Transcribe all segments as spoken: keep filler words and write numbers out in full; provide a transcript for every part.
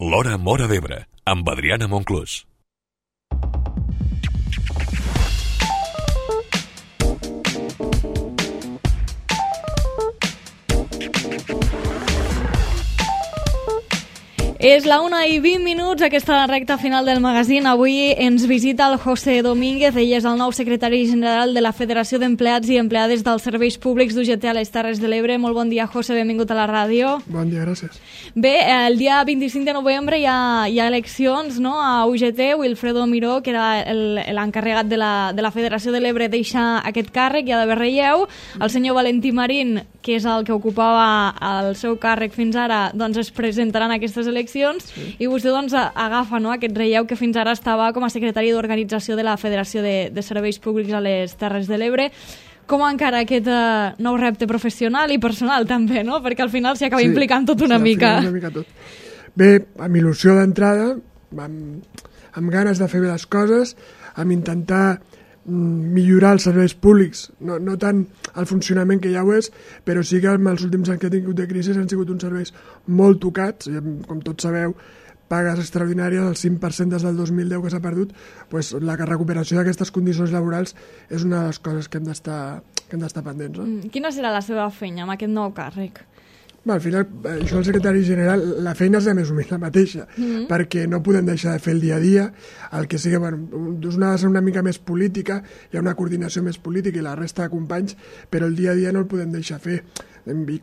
L'Hora Móra d'Ebre, amb Adriana Monclús. És la una i vint minuts, aquesta recta final del magazín. Avui ens visita el José Domínguez, ell és el nou secretari general de la Federació d'Empleats i Empleades dels Serveis Públics d'U G T a les Terres de l'Ebre. Molt bon dia, José, benvingut a la ràdio. Bon dia, gràcies. Bé, el dia vint-i-cinc de novembre hi ha, hi ha eleccions, no?, a U G T. Wilfredo Miró, que era l'encarregat de, la, de la Federació de l'Ebre, deixa aquest càrrec, hi ha d'haver relleu. El senyor Valentí Marín, que és el que ocupava el seu càrrec fins ara, doncs es presentaran aquestes eleccions. Sí. I vostè doncs agafa, no?, aquest relleu que fins ara estava com a secretari d'organització de la Federació de, de Serveis Públics a les Terres de l'Ebre. Com encara aquest uh, nou repte professional i personal també, no?, perquè al final s'hi acaba sí, implicant tot una sí, mica. una mica tot. Bé, amb il·lusió d'entrada, amb, amb ganes de fer bé les coses, amb intentar millorar els serveis públics, no, no tant el funcionament que ja ho és, però sí que els últims anys que he tingut de crisi han sigut uns serveis molt tocats, com tots sabeu, pagues extraordinàries, el cinc per cent des del dos mil deu que s'ha perdut, doncs la recuperació d'aquestes condicions laborals és una de les coses que hem d'estar que hem d'estar pendents. No? Mm, quina serà la seva feina amb aquest nou càrrec? Bé, al final, això el secretari general, la feina és més o menys la mateixa, mm-hmm. perquè no podem deixar de fer el dia a dia, el que sigui, bueno, una ha de ser una mica més política, hi ha una coordinació més política i la resta de companys, però el dia a dia no el podem deixar fer.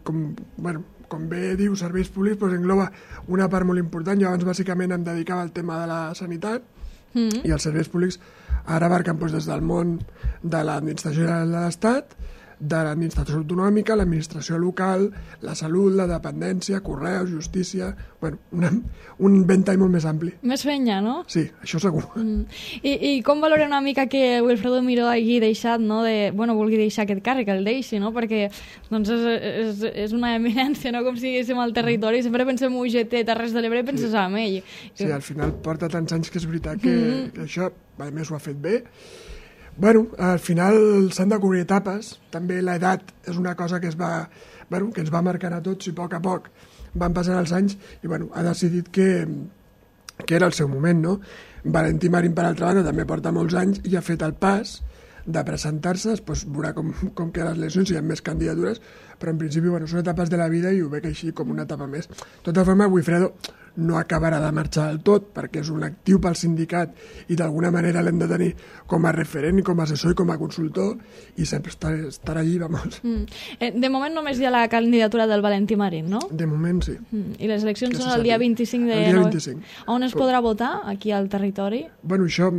Com, bueno, com bé diu, serveis públics doncs engloba una part molt important. Jo abans bàsicament em dedicava al tema de la sanitat, mm-hmm. i els serveis públics ara abarquen doncs, des del món de l'administració general de l'Estat, de l'administració autonòmica, l'administració local, la salut, la dependència, correus, justícia... Bueno, una, un ventall molt més ampli. Més feina, no? Sí, això segur. Mm. I, I com valora una mica que Wilfredo Miró hagi deixat, no, de, bueno, vulgui deixar aquest càrrec, el deixi, no? Perquè doncs és, és, és una eminència, no?, com si diguéssim al territori. Sempre pensem U G T, Terres de l'Ebre, penses sí. en ell. Sí, al final porta tants anys que és veritat que, mm. que això, a més, ho ha fet bé. Bueno, al final s'han de cobrir etapes, també l'edat és una cosa que, es va, bueno, que ens va marcar a tots i a poc a poc van passant els anys i bueno, ha decidit que, que era el seu moment, no? Valentí Marín, per altra banda, també porta molts anys i ha fet el pas de presentar-se, després veurà com, com queden les eleccions, si hi ha més candidatures, però en principi bueno, són etapes de la vida i ho veig així com una etapa més. De tota forma, Wilfredo no acabarà de marxar del tot, perquè és un actiu pel sindicat i d'alguna manera l'hem de tenir com a referent, com a assessor i com a consultor, i sempre estarà, estarà allí, vamos. Mm. Eh, de moment només hi ha la candidatura del Valentí Marín, no? De moment sí. Mm. I les eleccions que són el dia vint-i-cinc de... El dia vint-i-cinc. On es podrà votar? Aquí al territori? Bueno, això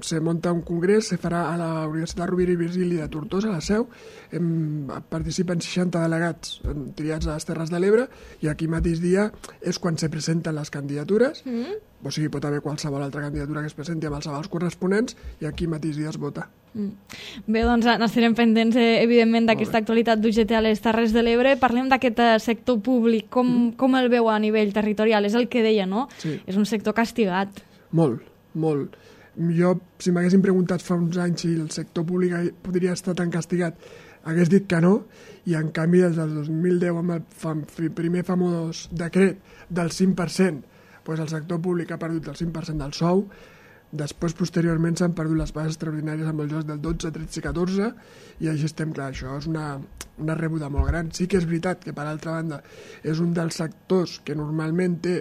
se munta un congrés, se farà a la Universitat Rovira i Virgili de Tortosa, a la Seu, em, participen seixanta delegats triats a les Terres de l'Ebre, i aquí mateix dia és quan se presenten les candidatures, mm. o sigui, pot haver qualsevol altra candidatura que es presenti amb els avals corresponents, i aquí mateix dia es vota. Mm. Bé, doncs n'estarem pendents, eh, evidentment, d'aquesta actualitat d'U G T a les Terres de l'Ebre. Parlem d'aquest eh, sector públic, com, mm. com el veu a nivell territorial? És el que deia, no? Sí. És un sector castigat. Molt, molt. Jo, si m'haguessin preguntat fa uns anys si el sector públic podria estar tan castigat, hagués dit que no, i en canvi des del dos mil deu amb el fam, primer famós decret del cinc per cent, doncs el sector públic ha perdut el cinc per cent del sou, després posteriorment s'han perdut les pagues extraordinàries amb els jocs del dotze, tretze i catorze, i així estem, clar, això és una, una rebuda molt gran. Sí que és veritat que, per altra banda, és un dels sectors que normalment té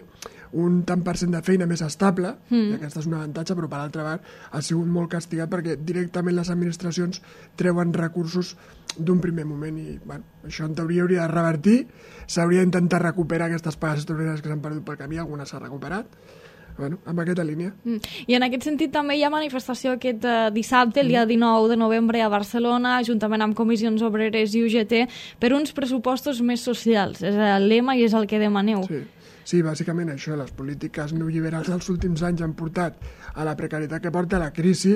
un tant per cent de feina més estable, mm. i aquesta és un avantatge, però per altra banda ha sigut molt castigat perquè directament les administracions treuen recursos d'un primer moment i bueno, això en teoria hauria de revertir, s'hauria d'intentar recuperar aquestes pagues extraordinàries que s'han perdut pel camí, alguna s'ha recuperat, bueno, amb aquesta línia. Mm. I en aquest sentit també hi ha manifestació aquest uh, dissabte, el dia dinou de novembre a Barcelona, juntament amb Comissions Obreres i U G T, per uns pressupostos més socials. És el lema i és el que demaneu. Sí. Sí, bàsicament això, les polítiques neoliberals dels últims anys han portat a la precarietat que porta a la crisi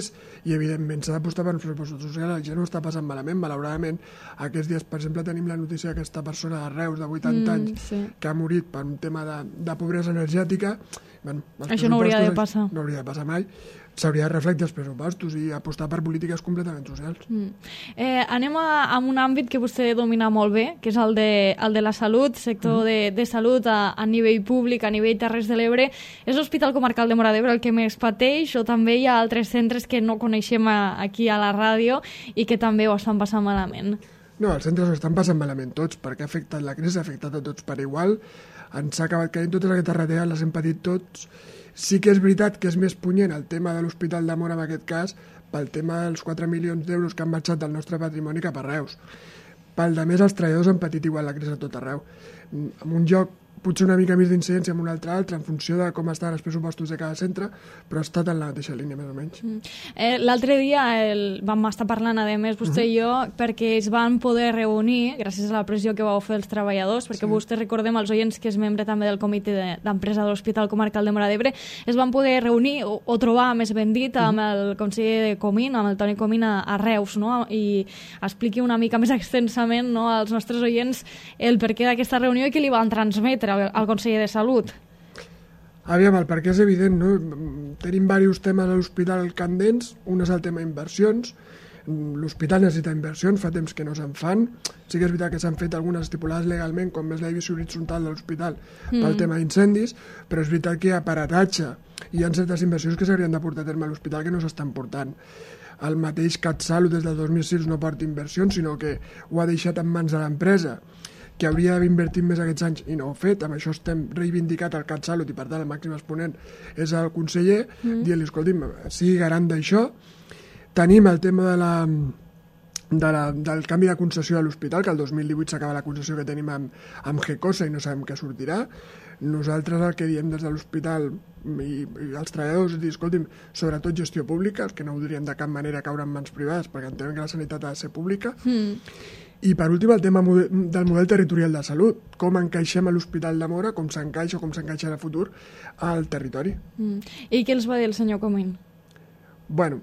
i evidentment s'ha d'apostar per uns pressupostos socials. La gent no està passant malament, malauradament. Aquests dies, per exemple, tenim la notícia d'aquesta persona de Reus de vuitanta mm, anys sí. que ha morit per un tema de, de pobresa energètica. Bueno, això no hauria de passar. No hauria de passar mai. S'hauria de reflectir els pressupostos i apostar per polítiques completament socials. Mm. Eh, anem a, a un àmbit que vostè domina molt bé, que és el de, el de la salut, sector mm. de, de salut a, a nivell públic, a nivell Terres de l'Ebre. És l'Hospital Comarcal de Móra d'Ebre el que més pateix, o també hi ha altres centres que no coneixem a, aquí a la ràdio i que també ho estan passant malament? No, els centres ho estan passant malament tots, perquè ha afectat la crisi, ha afectat a tots per igual. Ens ha acabat caient totes aquestes retallades, les hem patit tots. Sí que és veritat que és més punyent el tema de l'Hospital de Móra en aquest cas pel tema dels quatre milions d'euros que han marxat del nostre patrimoni cap a Reus. Pel de més, els treballadors han patit igual la crisi a tot arreu. En un lloc potser una mica més d'incidència en un altre altre, en funció de com estan els pressupostos de cada centre, però ha estat en la mateixa línia, més o menys. Mm. Eh, L'altre dia el, vam estar parlant, a més, vostè uh -huh. i jo, perquè es van poder reunir, gràcies a la pressió que vau fer els treballadors, perquè sí. Vostè, recordem, els oients, que és membre també del comitè d'empresa de l'Hospital Comarcal de Móra d'Ebre, es van poder reunir, o, o trobar, més ben dit, amb uh -huh. el conseller de Comín, amb el Toni Comín a, a Reus, no? I expliqui una mica més extensament, no, als nostres oients el perquè d'aquesta reunió i què li van transmetre al conseller de Salut. Aviam, el perquè és evident, no? Tenim diversos temes a l'hospital candents, un és el tema inversions, l'hospital necessita inversions, fa temps que no se'n fan, sí que és veritat que s'han fet algunes estipulades legalment, com és la divisió horitzontal de l'hospital mm. pel tema d'incendis, però és veritat que hi ha aparatatge, hi ha certes inversions que s'haurien de portar a terme a l'hospital que no s'estan portant. El mateix CatSalut des del dos mil sis no porta inversions, sinó que ho ha deixat en mans de l'empresa, que hauria d'haver invertit més aquests anys i no ho ha fet. Amb això estem reivindicat el CatSalut i, per tant, el màxim exponent és el conseller, mm. dient-li, escolti'm, sigui garant d'això. Tenim el tema de la, de la, del canvi de concessió de l'hospital, que el dos mil divuit s'acaba la concessió que tenim amb, amb Gecosa i no sabem què sortirà. Nosaltres el que diem des de l'hospital i, i els treballadors és dir, escolti'm, sobretot gestió pública, els que no voldrien de cap manera caure en mans privades, perquè entenem que la sanitat ha de ser pública. Mm. I per últim el tema del model territorial de salut, com encaixem a l'Hospital de Móra, com s'encaixa o com s'encaixa a futur al territori. Mm. I què els va dir el senyor Comín? Bueno,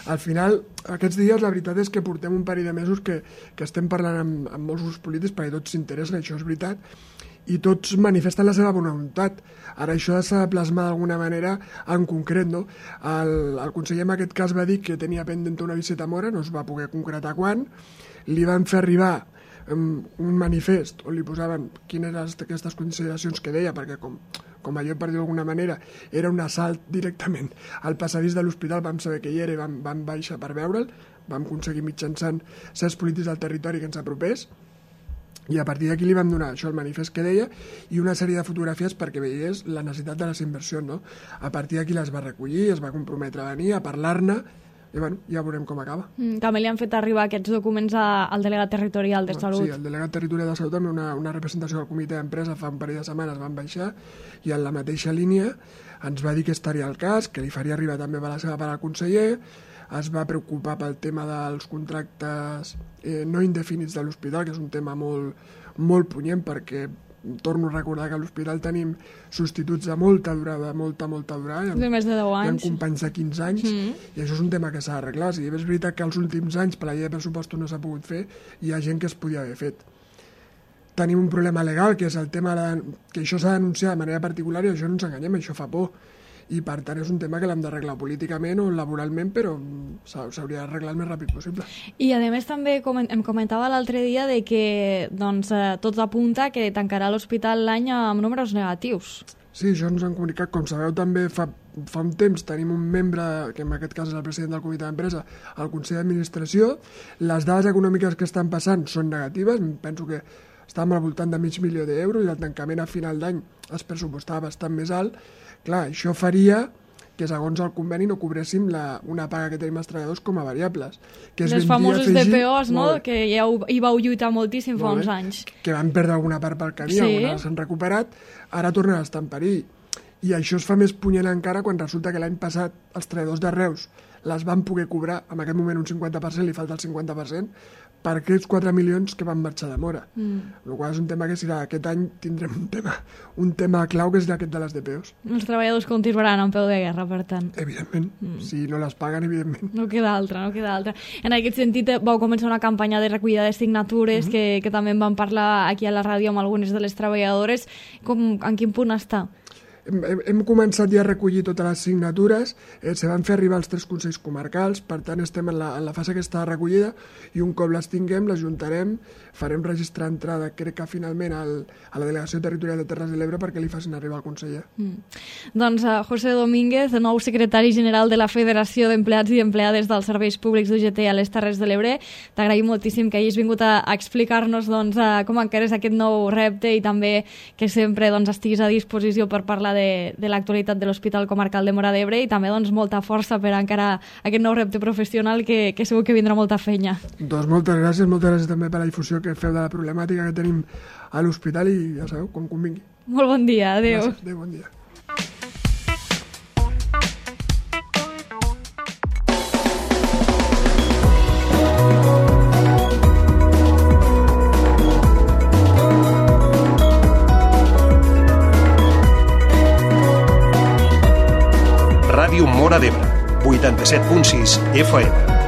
al final, aquests dies la veritat és que portem un parell de mesos que, que estem parlant amb, amb molts grups polítics perquè tots s'interessen, això és veritat, i tots manifesten la seva bona voluntat. Ara això s'ha de plasmar d'alguna manera en concret, no? El, el conseller en aquest cas va dir que tenia pendent una visita a Móra, no es va poder concretar quan, li van fer arribar um, un manifest on li posaven quines eren aquestes consideracions que deia, perquè com, com allò, per dir d'alguna manera, era un assalt directament al passadís de l'hospital, vam saber que hi era i vam, vam baixar per veure'l, vam aconseguir mitjançant certs polítics del territori que ens apropés, i a partir d'aquí li vam donar això, el manifest que deia, i una sèrie de fotografies perquè veiés la necessitat de les inversions, no? A partir d'aquí les va recollir, es va comprometre a venir, a parlar-ne, i bueno, ja veurem com acaba. Mm, també li han fet arribar aquests documents a, al delegat territorial de Salut. Sí, el delegat territorial de Salut també una, una representació del comitè d'empresa fa un parell de setmanes van baixar i en la mateixa línia ens va dir que estaria al cas, que li faria arribar també a la seva part al conseller, es va preocupar pel tema dels contractes eh, no indefinits de l'hospital, que és un tema molt, molt punyent perquè torno a recordar que a l'hospital tenim substituts de molta durada, molta, molta durada. De més de deu anys. Hi ha companys de quinze anys, mm. i això és un tema que s'ha d'arreglar. Si és veritat que els últims anys per la llei de pressupostos no s'ha pogut fer, hi ha gent que es podia haver fet. Tenim un problema legal, que és el tema de, que això s'ha d'anunciar de manera particular i això no ens enganyem, això fa por. I per tant és un tema que l'hem d'arreglar políticament o laboralment, però s'hauria d'arreglar el més ràpid possible. I a més també em comentava l'altre dia de que doncs, tot apunta que tancarà l'hospital l'any amb números negatius. Sí, això ens han comunicat. Com sabeu, també fa, fa un temps tenim un membre, que en aquest cas és el president del comitè d'empresa, al Consell d'Administració. Les dades econòmiques que estan passant són negatives, penso que estàvem al voltant de mig milió d'euros i el tancament a final d'any es pressupostava bastant més alt. Clar, això faria que segons el conveni no cobréssim la, una paga que tenim els treballadors com a variables. Que les famoses D P Os, no? Que ja hi vau lluitar moltíssim fa uns anys. Que van perdre alguna part pel camí, sí. Algunes s'han recuperat, ara tornen a estar en perill. I això es fa més punyent encara quan resulta que l'any passat els treballadors de Reus les van poder cobrar, en aquest moment un cinquanta per cent, li falta el cinquanta per cent, per aquests quatre milions que van marxar de Móra. Mm. El qual és un tema que serà, aquest any tindrem un tema, un tema clau que és aquest de les D P Os. Els treballadors continuaran en peu de guerra, per tant. Evidentment, mm. si no les paguen, evidentment. No queda altra, no queda altra. En aquest sentit, vau començar una campanya de recollida de signatures mm-hmm. que, que també en vam parlar aquí a la ràdio amb algunes de les treballadores. Com, en quin punt està? hem, hem començat ja a recollir totes les signatures, eh, se van fer arribar als tres consells comarcals, per tant estem en la, en la fase aquesta de recollida, i un cop les tinguem, les juntarem, farem registrar entrada, crec que finalment al, a la Delegació Territorial de Terres de l'Ebre perquè li facin arribar al conseller. Mm. Doncs uh, José Domínguez, de nou secretari general de la Federació d'Empleats i Empleades dels Serveis Públics d'U G T a les Terres de l'Ebre, t'agraïm moltíssim que hagis vingut a, a explicar-nos doncs, uh, com encares aquest nou repte i també que sempre doncs, estiguis a disposició per parlar de, de l'actualitat de l'Hospital Comarcal de Móra d'Ebre i també doncs, molta força per encarar aquest nou repte professional que, que segur que vindrà molta feina. Doncs moltes gràcies, moltes gràcies també per la difusió que feu de la problemàtica que tenim a l'hospital i ja sabeu, quan convingui. Molt bon dia, adéu. Gràcies, adéu, bon dia. Ràdio Móra d'Ebre, vuitanta-set punt sis F M.